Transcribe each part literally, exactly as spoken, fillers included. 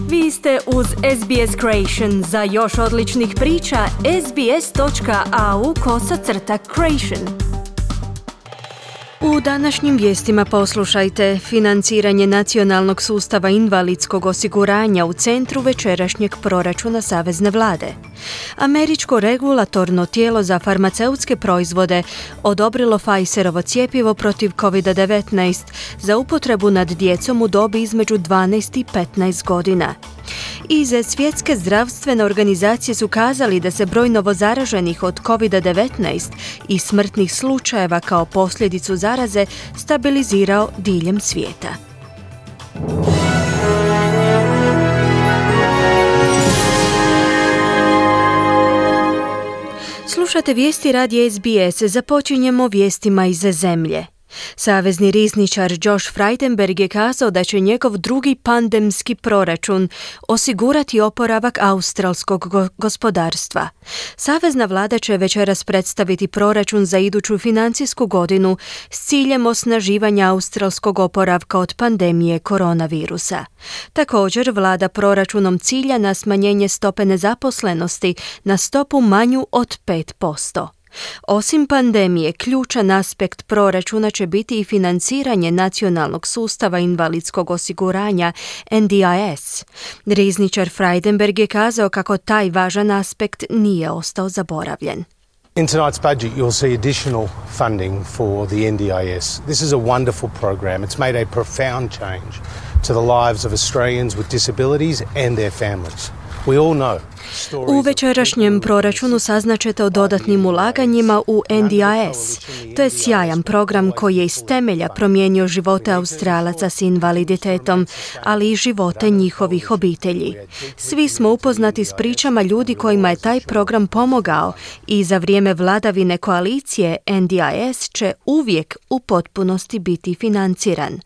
Vi ste uz S B S Creation. Za još odličnih priča, sbs.au kosacrta creation. U današnjim vijestima poslušajte: financiranje nacionalnog sustava invalidskog osiguranja u centru večerašnjeg proračuna savezne vlade. Američko regulatorno tijelo za farmaceutske proizvode odobrilo Pfizerovo cjepivo protiv covid devetnaest za upotrebu nad djecom u dobi između dvanaest i petnaest godina. Iz Svjetske zdravstvene organizacije su kazali da se broj novozaraženih od covid devetnaest i smrtnih slučajeva kao posljedicu zaraze stabilizirao diljem svijeta. Slušate vijesti radija S B S. Započinjemo vijestima iz zemlje. Savezni rizničar Josh Frydenberg je kazao da će njegov drugi pandemski proračun osigurati oporavak australskog go- gospodarstva. Savezna vlada će večeras predstaviti proračun za iduću financijsku godinu s ciljem osnaživanja australskog oporavka od pandemije koronavirusa. Također, vlada proračunom cilja na smanjenje stope nezaposlenosti na stopu manju od pet posto. Osim pandemije, ključan aspekt proračuna će biti i financiranje nacionalnog sustava invalidskog osiguranja N D I S. Rizničar Frydenberg je kazao kako taj važan aspekt nije ostao zaboravljen. In tonight's budget, you'll see additional funding for the N D I S. This is a wonderful program. It's made a profound change to the lives of Australians with disabilities and their families. We all know. U večerašnjem proračunu saznaćete o dodatnim ulaganjima u N D I S. To je sjajan program koji je iz temelja promijenio živote Australaca s invaliditetom, ali i živote njihovih obitelji. Svi smo upoznati s pričama ljudi kojima je taj program pomogao i za vrijeme vladavine koalicije N D I S će uvijek u potpunosti biti financiran.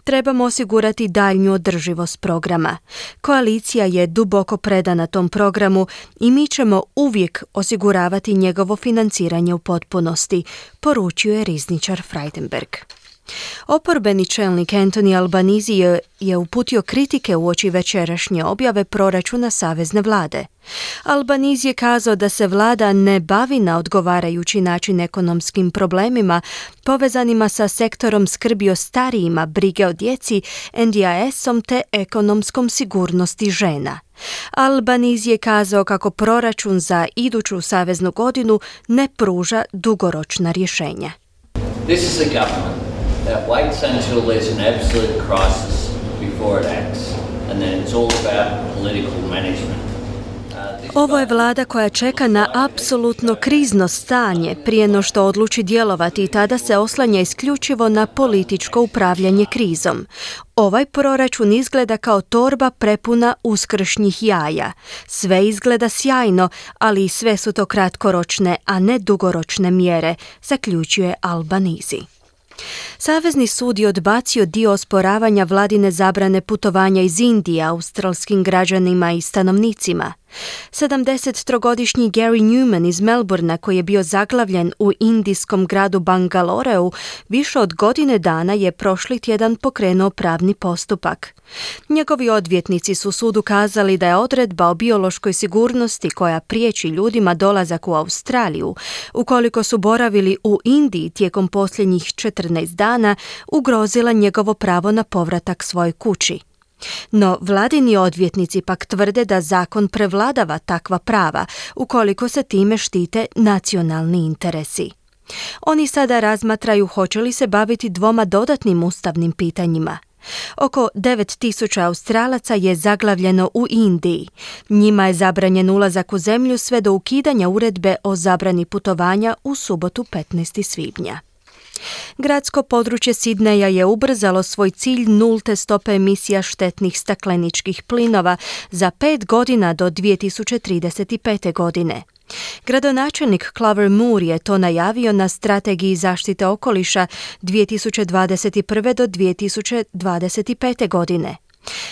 Trebamo osigurati daljnju održivost programa. Koalicija je duboko predana tom programu i mi ćemo uvijek osiguravati njegovo financiranje u potpunosti, poručio je rizničar Frydenberg. Oporbeni čelnik Anthony Albanese je, je uputio kritike uoči večerašnje objave proračuna savezne vlade. Albanese je kazao da se vlada ne bavi na odgovarajući način ekonomskim problemima povezanima sa sektorom skrbi o starijima, brige o djeci, N D I S-om te ekonomskom sigurnosti žena. Albanese je kazao kako proračun za iduću saveznu godinu ne pruža dugoročna rješenja. This is a government that waits until there's an absolute crisis before it acts, and then it's all about political management. Ovo je vlada koja čeka na apsolutno krizno stanje prije no što odluči djelovati i tada se oslanja isključivo na političko upravljanje krizom. Ovaj proračun izgleda kao torba prepuna uskršnjih jaja. Sve izgleda sjajno, ali sve su to kratkoročne, a ne dugoročne mjere, zaključuje Albanese. Savezni sud je odbacio dio osporavanja vladine zabrane putovanja iz Indije australskim građanima i stanovnicima. sedamdesettrogodišnji Gary Newman iz Melbournea, koji je bio zaglavljen u indijskom gradu Bangaloreu, više od godine dana je prošli tjedan pokrenuo pravni postupak. Njegovi odvjetnici su sudu kazali da je odredba o biološkoj sigurnosti koja priječi ljudima dolazak u Australiju, ukoliko su boravili u Indiji tijekom posljednjih četrnaest dana, ugrozila njegovo pravo na povratak svojoj kući. No, vladini odvjetnici pak tvrde da zakon prevladava takva prava, ukoliko se time štite nacionalni interesi. Oni sada razmatraju hoće li se baviti dvoma dodatnim ustavnim pitanjima. Oko devet tisuća Australaca je zaglavljeno u Indiji. Njima je zabranjen ulazak u zemlju sve do ukidanja uredbe o zabrani putovanja u subotu petnaestog svibnja. Gradsko područje Sidneja je ubrzalo svoj cilj nulte stope emisija štetnih stakleničkih plinova za pet godina do dvije tisuće trideset pete. godine. Gradonačelnik Clover Moore je to najavio na strategiji zaštite okoliša dvije tisuće dvadeset prve do dvije tisuće dvadeset pete. godine.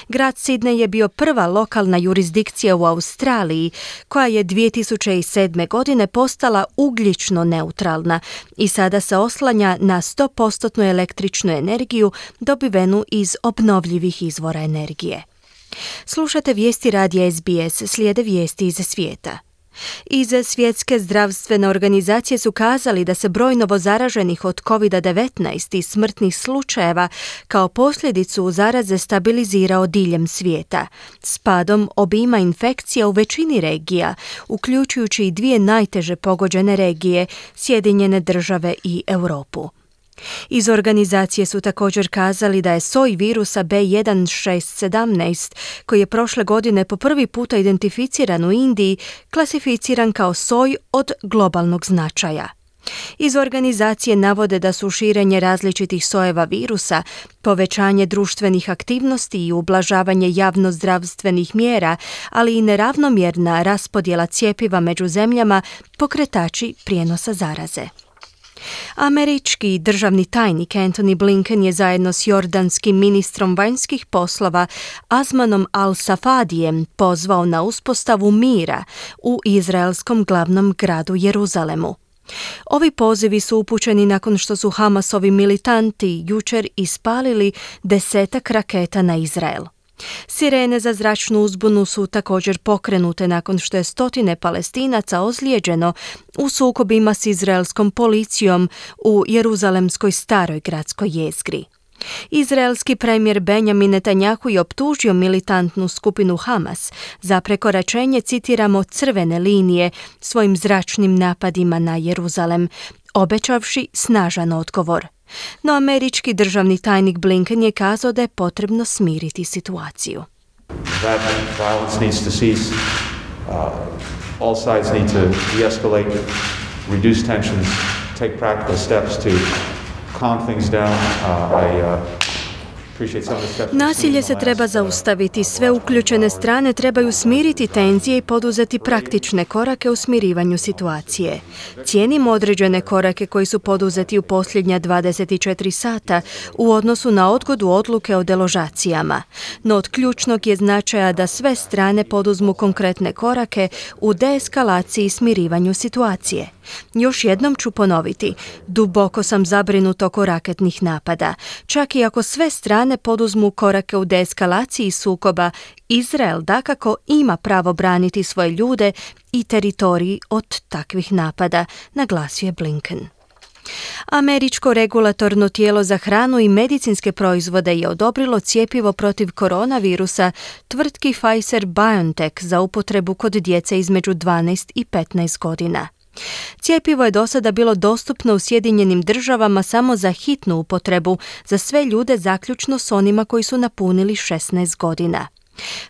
Grad Sidney je bio prva lokalna jurisdikcija u Australiji koja je dvije tisuće sedme. godine postala ugljično neutralna i sada se oslanja na sto posto električnu energiju dobivenu iz obnovljivih izvora energije. Slušate vijesti radija S B S, slijede vijesti iz svijeta. Iz Svjetske zdravstvene organizacije su kazali da se broj novozaraženih od kovid devetnaest i smrtnih slučajeva kao posljedicu zaraze stabilizirao diljem svijeta, s padom obima infekcija u većini regija, uključujući i dvije najteže pogođene regije, Sjedinjene države i Europu. Iz organizacije su također kazali da je soj virusa B jedan šest sedamnaest, koji je prošle godine po prvi puta identificiran u Indiji, klasificiran kao soj od globalnog značaja. Iz organizacije navode da su širenje različitih sojeva virusa, povećanje društvenih aktivnosti i ublažavanje javnozdravstvenih mjera, ali i neravnomjerna raspodjela cjepiva među zemljama pokretači prijenosa zaraze. Američki državni tajnik Antony Blinken je zajedno s jordanskim ministrom vanjskih poslova Azmanom al-Safadijem pozvao na uspostavu mira u izraelskom glavnom gradu Jeruzalemu. Ovi pozivi su upućeni nakon što su Hamasovi militanti jučer ispalili desetak raketa na Izrael. Sirene za zračnu uzbunu su također pokrenute nakon što je stotine Palestinaca ozlijeđeno u sukobima s izraelskom policijom u Jeruzalemskoj staroj gradskoj jezgri. Izraelski premijer Benjamin Netanjahu je optužio militantnu skupinu Hamas za prekoračenje, citiramo, crvene linije svojim zračnim napadima na Jeruzalem, obećavši snažan odgovor. No američki državni tajnik Blinken je kazao da je potrebno smiriti situaciju. That violence needs to cease. Uh, all sides need to de-escalate, reduce tensions, take practical steps to calm things down. Uh, I uh, Nasilje se treba zaustaviti, sve uključene strane trebaju smiriti tenzije i poduzeti praktične korake u smirivanju situacije. Cijenimo određene korake koji su poduzeti u posljednja dvadeset četiri sata u odnosu na odgodu odluke o deložacijama, no od ključnog je značaja da sve strane poduzmu konkretne korake u deeskalaciji i smirivanju situacije. Još jednom ću ponoviti, duboko sam zabrinut oko raketnih napada. Čak i ako sve strane poduzmu korake u deeskalaciji sukoba, Izrael dakako ima pravo braniti svoje ljude i teritoriji od takvih napada, naglasio je Blinken. Američko regulatorno tijelo za hranu i medicinske proizvode je odobrilo cjepivo protiv koronavirusa tvrtki Pfizer-BioNTech za upotrebu kod djece između dvanaest i petnaest godina. Cjepivo je do sada bilo dostupno u Sjedinjenim državama samo za hitnu upotrebu za sve ljude zaključno s onima koji su napunili šesnaest godina.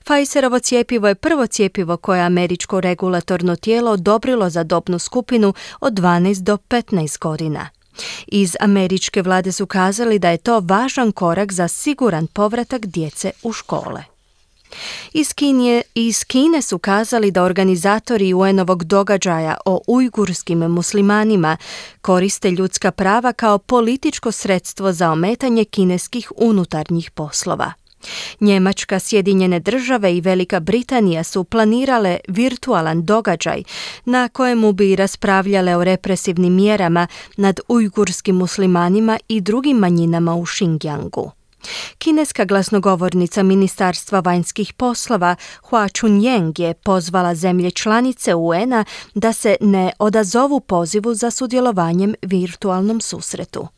Pfizerovo cjepivo je prvo cjepivo koje je američko regulatorno tijelo odobrilo za dobnu skupinu od dvanaest do petnaest godina. Iz američke vlade su kazali da je to važan korak za siguran povratak djece u škole. Iz Kine, iz Kine su kazali da organizatori U N-ovog događaja o ujgurskim muslimanima koriste ljudska prava kao političko sredstvo za ometanje kineskih unutarnjih poslova. Njemačka, Sjedinjene države i Velika Britanija su planirale virtualan događaj na kojemu bi raspravljale o represivnim mjerama nad ujgurskim muslimanima i drugim manjinama u Xinjiangu. Kineska glasnogovornica Ministarstva vanjskih poslova Hua Chunying je pozvala zemlje članice U N-a da se ne odazovu pozivu za sudjelovanjem virtualnom susretu.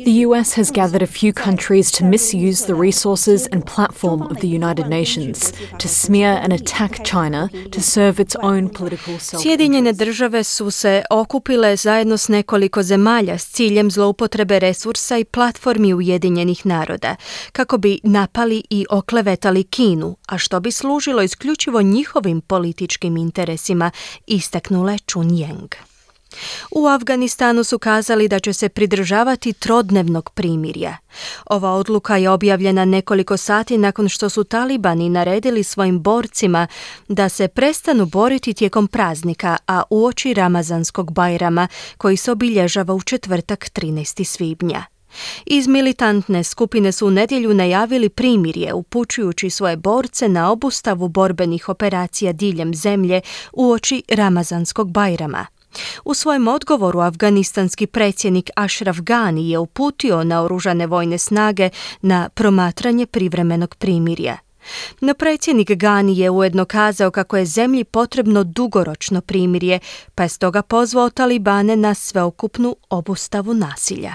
The U S has gathered a few countries to misuse the resources and platform of the United Nations to smear and attack China to serve its own political self-interest. Sjedinjene države su se okupile zajedno s nekoliko zemalja s ciljem zloupotrebe resursa i platformi Ujedinjenih naroda, kako bi napali i oklevetali Kinu, a što bi služilo isključivo njihovim političkim interesima, istaknula je Chunying. U Afganistanu su kazali da će se pridržavati trodnevnog primirja. Ova odluka je objavljena nekoliko sati nakon što su talibani naredili svojim borcima da se prestanu boriti tijekom praznika, a uoči Ramazanskog Bajrama koji se obilježava u četvrtak trinaestog svibnja. Iz militantne skupine su u nedjelju najavili primirje, upućujući svoje borce na obustavu borbenih operacija diljem zemlje uoči Ramazanskog Bajrama. U svojem odgovoru afganistanski predsjednik Ashraf Ghani je uputio naoružane vojne snage na promatranje privremenog primirja. No predsjednik Ghani je ujedno kazao kako je zemlji potrebno dugoročno primirje, pa je stoga pozvao Talibane na sveukupnu obustavu nasilja.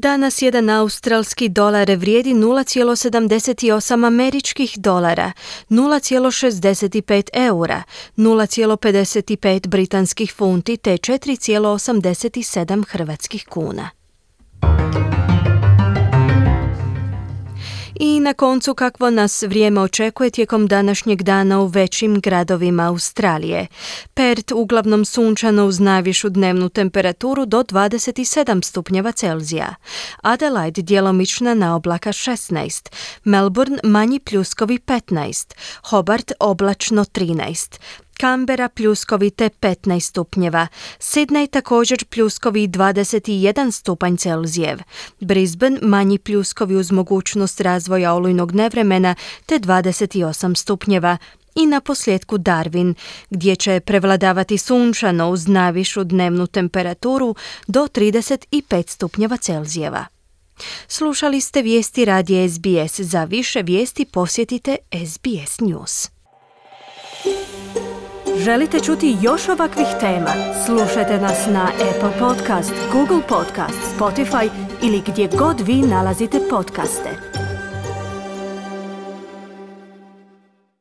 Danas jedan australski dolar vrijedi nula zarez sedamdeset osam američkih dolara, nula zarez šezdeset pet eura, nula zarez pedeset pet britanskih funti te četiri zarez osamdeset sedam hrvatskih kuna. I na koncu kakvo nas vrijeme očekuje tijekom današnjeg dana u većim gradovima Australije. Perth uglavnom sunčano uz najvišu dnevnu temperaturu do dvadeset sedam stupnjeva Celzija. Adelaide djelomična na oblaka šesnaest, Melbourne manji pljuskovi petnaest, Hobart oblačno trinaest. Canberra pljuskovite petnaest stupnjeva, Sydney također pljuskovi dvadeset jedan stupanj Celzijev, Brisbane manji pljuskovi uz mogućnost razvoja olujnog nevremena te dvadeset osam stupnjeva i na posljedku Darwin, gdje će prevladavati sunčano uz najvišu dnevnu temperaturu do trideset pet stupnjeva Celzijeva. Slušali ste vijesti radija S B S. Za više vijesti posjetite S B S News. Želite čuti još ovakvih tema? Slušajte nas na Apple Podcast, Google Podcast, Spotify ili gdje god vi nalazite podcaste.